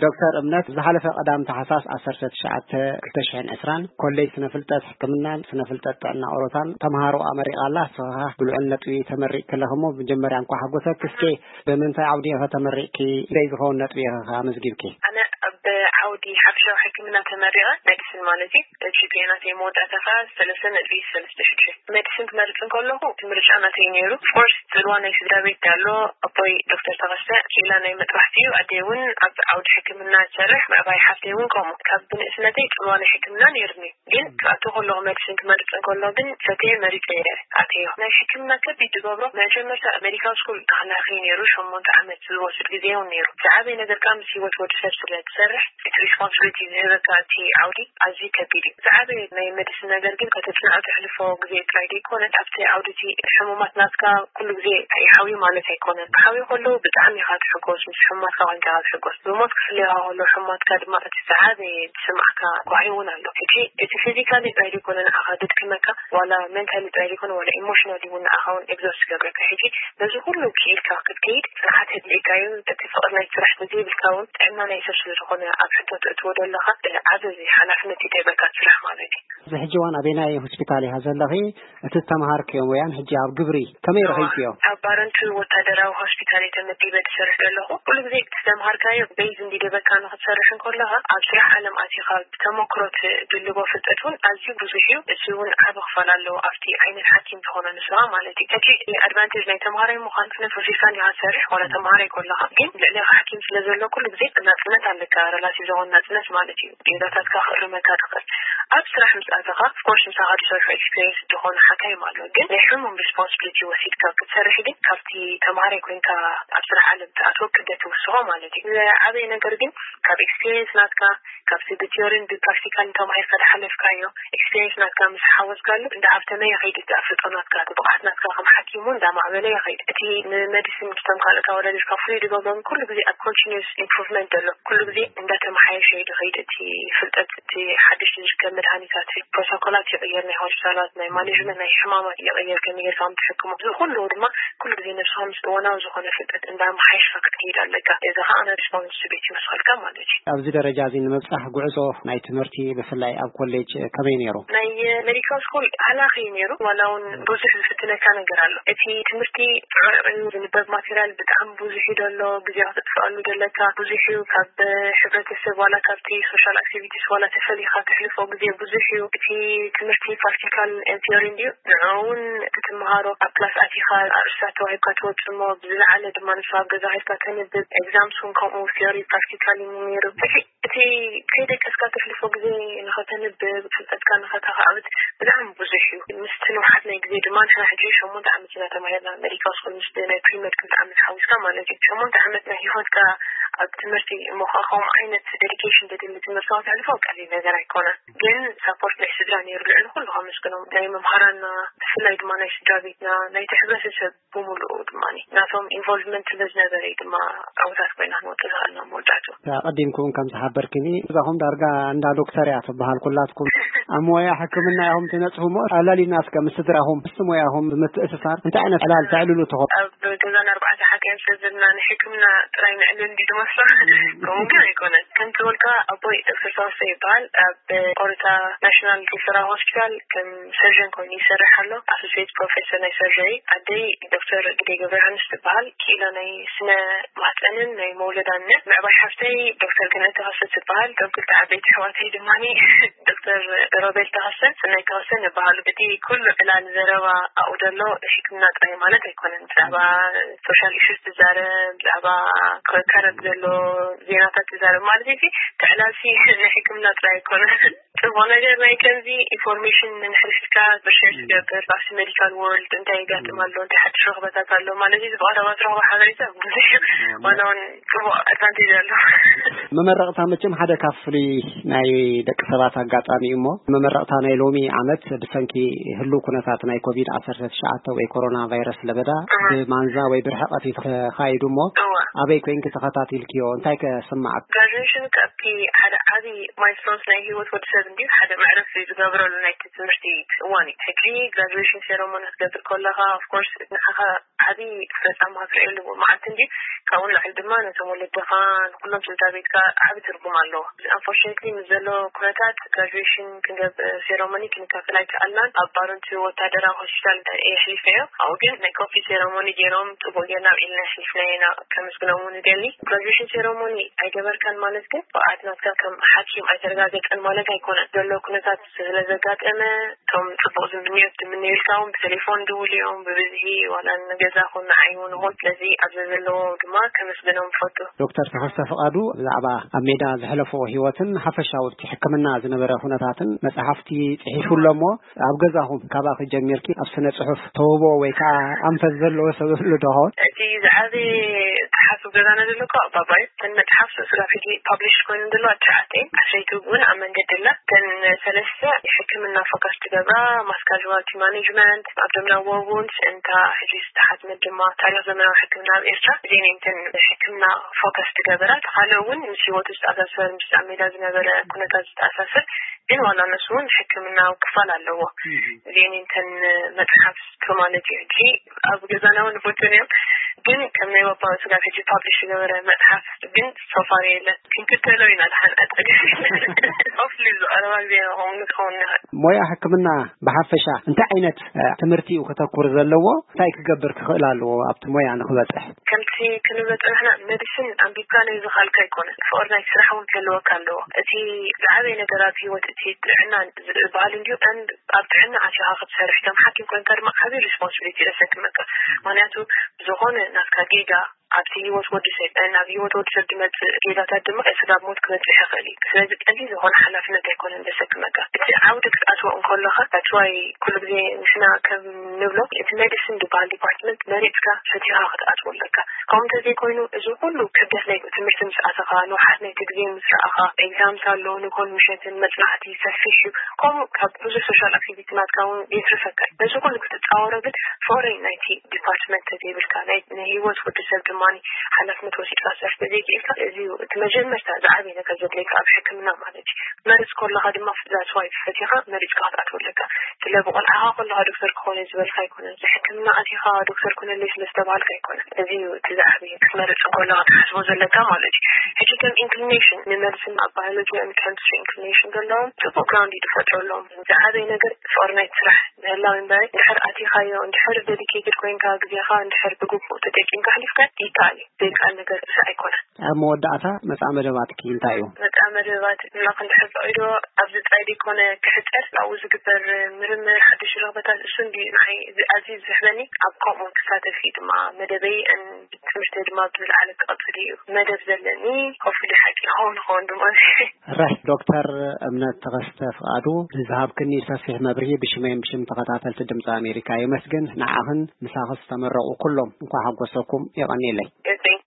ዶክተር እምነት፣ ዝሓለፈ ቀዳም ታሕሳስ ዓሰርተ ትሽዓተ ክልተ ሽሕን ዕስራን ኮሌጅ ስነ ፍልጠት ሕክምናን ስነ ፍልጠት ጥዕና ኦሮታን ተምሃሮ ኣመሪቓ ኣላ። ንስኻ ብልዑል ነጥቢ ተመሪቕ ከለኹ እሞ፣ መጀመርያ እንኳዕ ሓጎሰክ። እስኪ ብምንታይ ዓውዲ ኢኻ ተመሪቕኪ? ክንደይ ዝኸውን ነጥቢ ኢኻ ኣመዝጊብኪ? ኣነ ኣብ ዓውዲ ሓፈሻዊ ሕክምና ተመሪቐ፣ ሜዲሲን ማለት እዩ። ጂ ፒ ኤ ናተይ መወዳእታ ከዓ ሰለስተ ነጥቢ ሰለስተ ሽዱሽተ። ሜዲሲን ክመርጽ እንከለኹ እቲ ምርጫ ናተይ ነይሩ። ኦፍኮርስ፣ ጽልዋ ናይ ስድራ ቤት ኣሎ። ኣቦይ ዶክተር ተኸስተ ክኢላ ናይ መጥባሕቲ እዩ። ኣደይ እውን ኣብ ዓውዲ ሕክምና ትሰርሕ፣ ምዕባይ ሓፍተይ እውን ከምኡ። ካብ ብንእስነተይ ጽልዋ ናይ ሕክምና ነይሩኒ። ግን ክኣቱ ከለኹ፣ ሜዲሲን ክመርጽ እንከሎ ግን ፈትየ መሪጸ ኣተዮ። ናይ ሕክምና ከቢድ ዝገብሮ፣ መጀመርታ ሜዲካል ስኩል ተኸላኺ ነይሩ፣ ሸሞንተ ዓመት ዝወስድ ግዜ እውን ነይሩ። ዝዓበየ ነገር ከዓ ምስ ህይወት ወዲ ሰብ ስለ ትሰርሕ፣ እቲ ሪስፖንሲቢሊቲ ዝህበካ እቲ ዓውዲ ኣዝዩ ከቢድ እዩ። ዝዓበየ ናይ ሜዲሲን ነገር ግን ከተጽንዖ ተሕልፎ ግዜ ጥራይ ዘይኮነ፣ ኣብቲ ዓውዲ እቲ ሕሙማት ናትካ ኩሉ ግዜ ይሓውዩ ማለት ኣይኮነን። ክሓውዩ ከለዉ ብጣዕሚ ኢኻ ትሕጎስ፣ ምስ ሕሙማትካ ኮይንካ ኢኻ ትሕጎስ። ብሞት ክፍለዩኻ ከለዉ ሕሙማትካ ድማ እቲ ዝዓበየ ዝስምዓካ ጓሂ እውን ኣሎ። ሕጂ እቲ ፊዚካሊ ጥራይ ዘይኮነ ንዓኻ ዘድክመካ፣ ዋላ ሜንታሊ ጥራይ ዘይኮነ ዋላ ኢሞሽናሊ እውን ንዓኻ እውን ኤግዞስት ይገብረካ። ሕጂ ነዚ ኩሉ ክኢልካ ክትከይድ ጽንዓት የድልየካ እዩ። እቲ ፍቕሪ ናይ ስራሕ ተዘይብልካ እውን ጥዕና ናይ ሰብ ስለ ዝኾነ ኣብ ሕቶ ተእትዎ ዘለኻ ዓቢ ሓላፍነት እዩ ደይበካ ስራሕ ማለት እዩ። እዚ ሕጂ እዋን ኣበየናይ ሆስፒታል ኢኻ ዘለኺ? እቲ ዝተምሃርክዮ ሙያን ሕጂ ኣብ ግብሪ ከመይ ረኺብክዮ? ኣብ ባረንቱ ወታደራዊ ሆስፒታል እየ ተመዲበ ዝሰርሕ ዘለኹ። ኩሉ ግዜ እቲ ዝተምሃርካዮ ቤዝ እንዲደበካ ንኽትሰርሕ እንከለኻ ኣብ ስራሕ ዓለም ኣቲኻ ብተመክሮ ትድልቦ ፍልጠት እውን ኣዝዩ ብዙሕ እዩ። እዚ እውን ዓቢ ክፋል ኣለዎ ኣብቲ ዓይነት ሓኪም ዝኾነ ንስኻ ማለት እዩ። ሕጂ ኣድቫንቴጅ ናይ ተምሃራይ ምዃን ክነት ወሲድካ እንዲኻ ትሰርሕ ዋላ ተምሃራይ ከለኻ፣ ግን ልዕሌኻ ሓኪም ስለ ዘሎ ኩሉ ግዜ ናጽነት ኣለካ፣ ረላቲቭ ዝኾነ ናጽነት ማለት እዩ። ጌጋታትካ ክእርመካ ትኽእል። ኣብ ስራሕ ምስ ኣተኻ ኦፍኮርስ ምሳኻ ዝሰርሑ ኤክስፒሪየንስ ዝኾኑ ሓካይም ኣሎ፣ ግን ናይ ሕሙም ሪስፖንሲቢሊቲ ወሲድካ ክትሰርሕ ግን ካብቲ ተምሃራይ ኮይንካ ኣብ ስራሕ ዓለም ትኣትዎ ክብደት ትውስኾ ማለት እዩ። ዝዓበየ ነገር ግን ካብ ኤክስፒሪየንስ ናትካ፣ ካብቲ ብቲዮሪን ብፕራክቲካል ተማሂርካ ዝሓለፍካዮ ኤክስፒሪየንስ ናትካ ምስ ሓወስካሉ እንዳሃብተመ ይኸይድ፣ እቲ ኣፍልጦ ናትካ፣ እቲ ብቕዓት ናትካ ከም ሓኪም እውን እንዳማዕበለ ይኸይድ። እቲ ንመዲሲን ምስቶም ካልኦት ኣወዳዲርካ ፍሉይ ዝገብሮ ግን ኩሉ ግዜ ኣብ ኮንቲኒስ ኢምፕሩቭመንት ዘሎ፣ ኩሉ ግዜ እንዳተመሓየሸ እዩ ዝኸይድ። እቲ ፍልጠት፣ እቲ ሓድሽ ዝርከብ መድሃኒታት፣ ፕሮቶኮላት ይቕየር፣ ናይ ሆስፒታላት፣ ናይ ማኔጅመንት ናይ ሕማማት ይቕየር፣ ከመይ ጌርካ ከም ትሕክሞ፣ እዚ ኩሉ ድማ ኩሉ ግዜ ነብስኻ ምስ እዋናዊ ዝኾነ ፍልጠት እንዳመሓየሽካ ክትከይድ ኣለካ። እዚ ኸዓ ናይ ሪስፖንሲቢሊቲ ይውስኸልካ ማለት እዩ። ኣብዚ ደረጃ እዚ ንምብጻሕ ጉዕዞ ናይ ትምህርቲ ብፍላይ ኣብ ኮሌጅ ከመይ ነይሩ? ናይ ሜዲካል ስኩል ሃላኺ እዩ ነይሩ። ዋላ እውን ብዙሕ ዝፍትነካ ነገር ኣሎ። እቲ ትምህርቲ ጽዑቕ እዩ፣ ዝንበብ ማቴሪያል ብጣዕሚ ብዙሕ እዩ ዘሎ፣ ግዜ ክተጥፍኣሉ ዘለካ ብዙሕ እዩ። ካብ ሕብረተሰብ ዋላ ካብቲ ሶሻል ኣክቲቪቲስ ዋላ ተፈሊኻ ተሕልፎ ግዜ ብዙሕ እዩ። እቲ ትምህርቲ ፕራክቲካል ቲዮሪ እንድዩ። ንዕኡ እውን እቲ ትምሃሮ ኣብ ክላስ ኣቲኻ ኣርእስታት ተዋሂብካ ትወጽእ እሞ፣ ብዝለዓለ ድማ ንስኻ ኣብ ገዛ ኸይድካ ተንብብ። ኤግዛምስ እውን ከምኡ ቲዮሪ ፕራክቲካል እዩ ነይሩ። ሕጂ እቲ ከይደቀስካ ተሕልፎ ግዜ ንኸተንብብ፣ ፍልጠትካ ንኸተኻዕብት ብጣዕሚ ብዙሕ እዩ። ምስቲ ንውሓት ናይ ግዜ ድማ ንሕና ሕጂ ሸሞንተ ዓመት ኢና ተማሂርና፣ ሜዲካል ስኩል ምስ ናይ ፕሪመድ ክልተ ዓመት ሓዊስካ ማለት እዩ። ሸሞንተ ዓመት ናይ ህይወትካ ኣብ ትምህርቲ እሞ ኸዓ ከምኡ ዓይነት ዴዲኬሽን ዘድሊ ትምህርቲ ከተሕልፎ ቀሊል ነገር ኣይኮነን። ግን ሳፖርት ናይ ስድራ ነይሩ፣ ልዕሊ ኩሉ ከመስግኖም ናይ መምሃራንና፣ ብፍላይ ድማ ናይ ስድራ ቤትና፣ ናይቲ ሕብረተሰብ ብምሉኡ ድማ ናቶም ኢንቮልቭመንት ስለ ዝነበረ እዩ ድማ ዕውታት ኮይና ክንወጽእ ዝኽእልና መወዳእቱ። ኣቐዲምኩም ከም ዝሓበርክኒ፣ እዛኹም ዳርጋ እንዳ ዶክተር እያ ትበሃል ኩላትኩም። ኣብ ሞያ ሕክምና ኢኹም ትነጽሁ እሞ፣ ኣላሊና እስከ ምስ ስድራኹም፣ ምስ ሞያኹም ብምትእስሳር እንታይ ዓይነት ዕላል ተዕልሉ ትኾኑ? ኣብ ገዛና ኣርባዕተ ሓካይም ስለ ዘለና ንሕክምና ጥራይ ነዕልል እንዲ ዝመስሎ፣ ከምኡ ግን ኣይኮነን። ከምቲ በልካ ኣቦይ ዶክተር ተወሰ ይበሃል። ኣብ ቆረታ ናሽናል ሪፈራል ሆስፒታል ከም ሰርጀን ኮይኑ ይሰርሕ ኣሎ። ኣሶሲየት ፕሮፌሰር ናይ ሰርጀሪ። ኣደይ ዶክተር ግደይ ገብረ ዮሃንስ ትበሃል። ክኢላ ናይ ስነ ማህፀንን ናይ መውለዳን። ምዕባይ ሓፍተይ ዶክተር ገነት ተኸስተ ትበሃል። እቶም ክልተ ዓበይቲ ኣሕዋተይ ድማ ዶክተር ሮቤል ተኸስተን ሰናይ ተኸስተን ይበሃሉ። እቲ ኩሉ ዕላል ዘረባ ኣብኡ ዘሎ ሕክምና ጥራይ ማለት ኣይኮነን። ብዛዕባ ሶሻል ኢሹስ ትዛረብ፣ ብዛዕባ ከረብ ዘሎ ዜናታት ትዛረብ ማለት እዩ። እቲ ዕላልሲ ናይ ሕክምና ጥራይ ኣይኮነን። ጽቡቕ ነገር ናይ ከምዚ ኢንፎርሜሽን ንሕድሕድካ ብሼር ትገብር፣ ኣብቲ ሜዲካል ወርልድ እንታይ ይጋጥም ኣሎ፣ እንታይ ሓድሽ ረኽበታት ኣሎ ማለት እዩ። ዝፍቐረባ ትረኽቦ ሓበሬታ ብዙሕ እዩ። ዋላ እውን ጽቡቕ ኣድቫንቴጅ ኣሎ። መመረቕታ መቸም ሓደ ካብ ፍሉይ ናይ ደቂ ሰባት ኣጋጣሚ እዩ እሞ፣ መመረቕታ ናይ ሎሚ ዓመት ብሰንኪ ህሉው ኩነታት ናይ ኮቪድ ዓሰርተ ትሽዓተ ወይ ኮሮና ቫይረስ ለበዳ ብማንዛ ወይ ብርሕቐት እዩ ተኻይዱ እሞ፣ ኣበይ ኮይንኪ ተኸታቲልክዮ? እንታይ ከ ስምዓክ? ግራጁዌሽን ካብቲ ሓደ ዓቢ ማይልስቶንስ ናይ ህይወት ወዲ ሰብ እንዲ ሓደ መዕረፊ ዝገብረሉ ናይቲ ትምህርቲ እዋን እዩ። ሕጂ ግራጁዌሽን ሴረሞኒ ክትገብር ከለኻ ኦፍኮርስ ንዓኻ ዓብዪ ፈፃማ ክትሪኦ ኣለዎ መዓልቲ እንዲ ካብኡ ንላዕሊ ድማ ነቶም ወለድኻ ንኩሎም ስድራ ቤትካ ዓብዪ ትርጉም ኣለዎ። ኣንፎርቹኔትሊ ምስ ዘሎ ኩነታት ግራጁዌሽን ክንገብ ሴረሞኒ ክንካፈል ኣይከኣልናን። ኣብ ባረንቱ ወታደራዊ ሆስፒታል የሕሊፈዮ። ኣብኡ ግን ናይ ኮፊ ሴረሞኒ ገይሮም ፅቡቅ ጌርና ኣብኢልና የሕሊፍና ኢና። ከመስግኖም እውን ይደሊ። ግራጁዌሽን ሴረሞኒ ኣይገበርካን ማለት ግን ብቕዓት ናትካ ከም ሓኪም ኣይተረጋገፀን ማለት ኣይኮነን። ዘሎ ኩነታት ስለ ዘጋጠመ እቶም ፅቡቅ ዝምንዮት ዝምንዩልካ እውን ብቴሌፎን ድውል እዮም ብብዝሒ ዋላ ንገዛ ኹን ንዓይ እውን ይኹን። ስለዚ ኣብዚ ዘለዎ ድማ ከመስግኖም ይፈቱ። ዶክተር ተኸስተ ፍቓዱ ብዛዕባ ኣብ ሜዳ ዘሕለፍዎ ህይወትን ሓፈሻዊ ኣብቲ ሕክምና ዝነበረ ኩነታትን መጽሓፍቲ ጽሒፉ ኣሎ እሞ ኣብ ገዛኹም ካባኺ ጀሚርኪ ኣብ ስነ ጽሑፍ ተውህቦ ወይ ከዓ ኣንፈት ዘለዎ ሰብ ይህሉ ዶ ኸውን? እቲ ዝዓበየ ተሓሱ ገዛና ዘሎ እኮ ኣባባ እዩ። እተን መጽሓፍ ስጋብ ሕጂ ፓብሊሽ ኮይኑ ዘሎ ኣብ ትሽዓተ እየን። ዓሰርተ እውን ኣብ መንገዲ ኣላ። እተን ሰለስተ ሕክምና ፎካስ ትገብራ ማስ ካዥዋልቲ ማኔጅመንት ኣብ ደምና ወውንስ እንታ ሕጂ ዝተሓትመት ድማ ታሪኽ ዘመናዊ ሕክምና ኣብ ኤርትራ እዚአን እየን እተን ሕክምና ፎከስ ትገበራ። እቲ ካልእ እውን ምስ ህይወቱ ዝተኣሳሰር ምስ ኣብ ሜዳ ዝነበረ ኩነታት ዝተኣሳሰር ግን ዋላ ነሱ እውን ሕክምናዊ ክፋል ኣለዎ። እዚአን እየን እተን መፅሓፍ ስትሮማሎጂ ሕጂ ኣብ ገዛና እውን ንፈትን እዮም ግን ከም ናይ ባባ ስጋብ ሕጂ ፓብሊሽ ዝገበረ መፅሓፍ ግን ሶፋር የለን። ክንክተሎ ኢና ዝሓንቀጠ ሆፍሊ ዝቐረባ ግዜ ንኸውን ንኸውን ንኽእል። ሞያ ሕክምና ብሓፈሻ እንታይ ዓይነት እ፣ ትምህርቲ እዩ ከተኩር ዘለዎ? እንታይ ክገብር ክኽእል ኣለዎ ኣብቲ ሞያ ንኽበፅሕ? ከምቲ ክንብሎ ዝፀናሕና ሜዲሲን ኣንቢብካ ናይ ዝኻልካ ኣይኮነን። ፍቕሪ ናይ ስራሕ እውን ክህልወካ ኣለዎ። እቲ ዝዓበየ ነገር ኣብ ህይወት እቲ ጥዕና ዝበሃል እንዲሁ and ኣብ ጥዕና ኣትኻ ክትሰርሕ ከም ሓኪም ኮይንካ ድማ ዓብዪ ሪስፖንሲቢሊቲ ደሰክመካ። ምክንያቱ ዝኾነ ናትካ ጌጋ ኣብቲ ህይወት ወዲ ሰብ እ፣ ናብ ህይወት ወዲ ሰብ ዝመፅእ ጌጋታት ድማ ስጋብ ሞት ክበፅሕ ይኽእል እዩ። ስለዚ ቀሊል ዝኾነ ሓላፍነት ኣይኮነን ደሰክመካ። እቲ ዓውዲ ክትኣትዎ እንከለኻ that's why ኩሉ ግዜ ንሕና ከም ንብሎ እቲ ሜዲሲን ዝበሃል ዲፓርትመንት መሪፅካ ፈቲኻ ክትኣትዎ ኣለካ። ከምኡ እንተዘይኮይኑ እዚ ኩሉ ክብደት ናይ ትምህርቲ ምስ ኣተኻ ንውሓት ናይቲ ግዜ ምስ ረኣኻ ኤግዛምስ ኣሎ ንጎን ምሸትን መፅናዕቲ ሰፊሕ እዩ። ከምኡ ካብ ብዙሕ ሶሻል ኣክቲቪቲ ናትካ እውን የትርፈካ እዩ። ነዚ ኩሉ ክትፃወሮ ግን ፍቕሪ ናይቲ ዲፓርትመንት ተዘይብልካ ናይ ናይ ህይወት ወዲ ሰብ ድማ ሓላፍነት ወሲድካ ስራሕ ተዘይክኢልካ እዚ እዩ እቲ መጀመርታ ዝዓበየ ነገር ዘድለየካ ኣብ ሕክምና ማለት እዩ። መርፅ ከለኻ ድማ that's why ፈቲኻ መሪፅካ ክትኣትዎ ኣለካ። ስለ ብቆልዓኻ ከለኻ ዶክተር ክኾን እየ ዝበልካ ኣይኮነን። ሕክምና ኣቲኻ ዶክተር ኩነለይ ስለ ዝተባሃልካ ኣይኮነን። እዚ እዩ እቲ ዝዓበየ ክትመርፅ ከለኻ ክትሓስቦ ዘለካ ማለት እዩ። ሕጂ ከም ኢንክሊኔሽን ንመድስን ኣብ ባዮሎጂ and ኬሚስትሪ ኢንክሊኔሽን ዘለዎም ፅቡቅ ግራውንድ እዩ ዝፈጥረሎም። ዝዓበየ ነገር ፍቅሪ ናይቲ ስራሕ ምህላው እምበረ እንድሕር ኣቲኻዮ እንድሕር ዴዲኬትድ ኮይንካ ግዜኻ እንድሕር ብግቡእ ተጠቂምካ ኣሕሊፍካ ይከኣል እዩ። ዘይከኣል ነገር እዚ ኣይኮነን። ኣብ መወዳእታ መጻኢ መደባትኪ እንታይ እዩ? መጻኢ መደባት ኣምላኽ እንድሕር ፈቒዶ ኣብዚ ጥራይ ዘይኮነ ክሕጸር ኣብኡ ዝግበር ምርምር ሓድሽ ረኽበታት እሱ እንዲ ንዓይ ኣዝዩ ዝስሕበኒ ኣብ ከምኡ ክሳተፍ እዩ ድማ መደበይ and ትምህርተይ ድማ ብዝለዓለ ክቕጽል እዩ መደብ ዘለኒ። ኮፍሊ ሓቂ ይኸውን ይኸውን ድማ። ራሕ ዶክተር እምነት ተኸስተ ፍቓዱ ንዝሃብክኒ ሰፊሕ መብርሂ ብሽመይን ብሽም ተኸታተልቲ ድምፂ ኣሜሪካ የመስግን። ንዓኽን ምሳኺ ዝተመረቑ ኩሎም እንኳ ሓጎሰኩም። የቐንየለይ።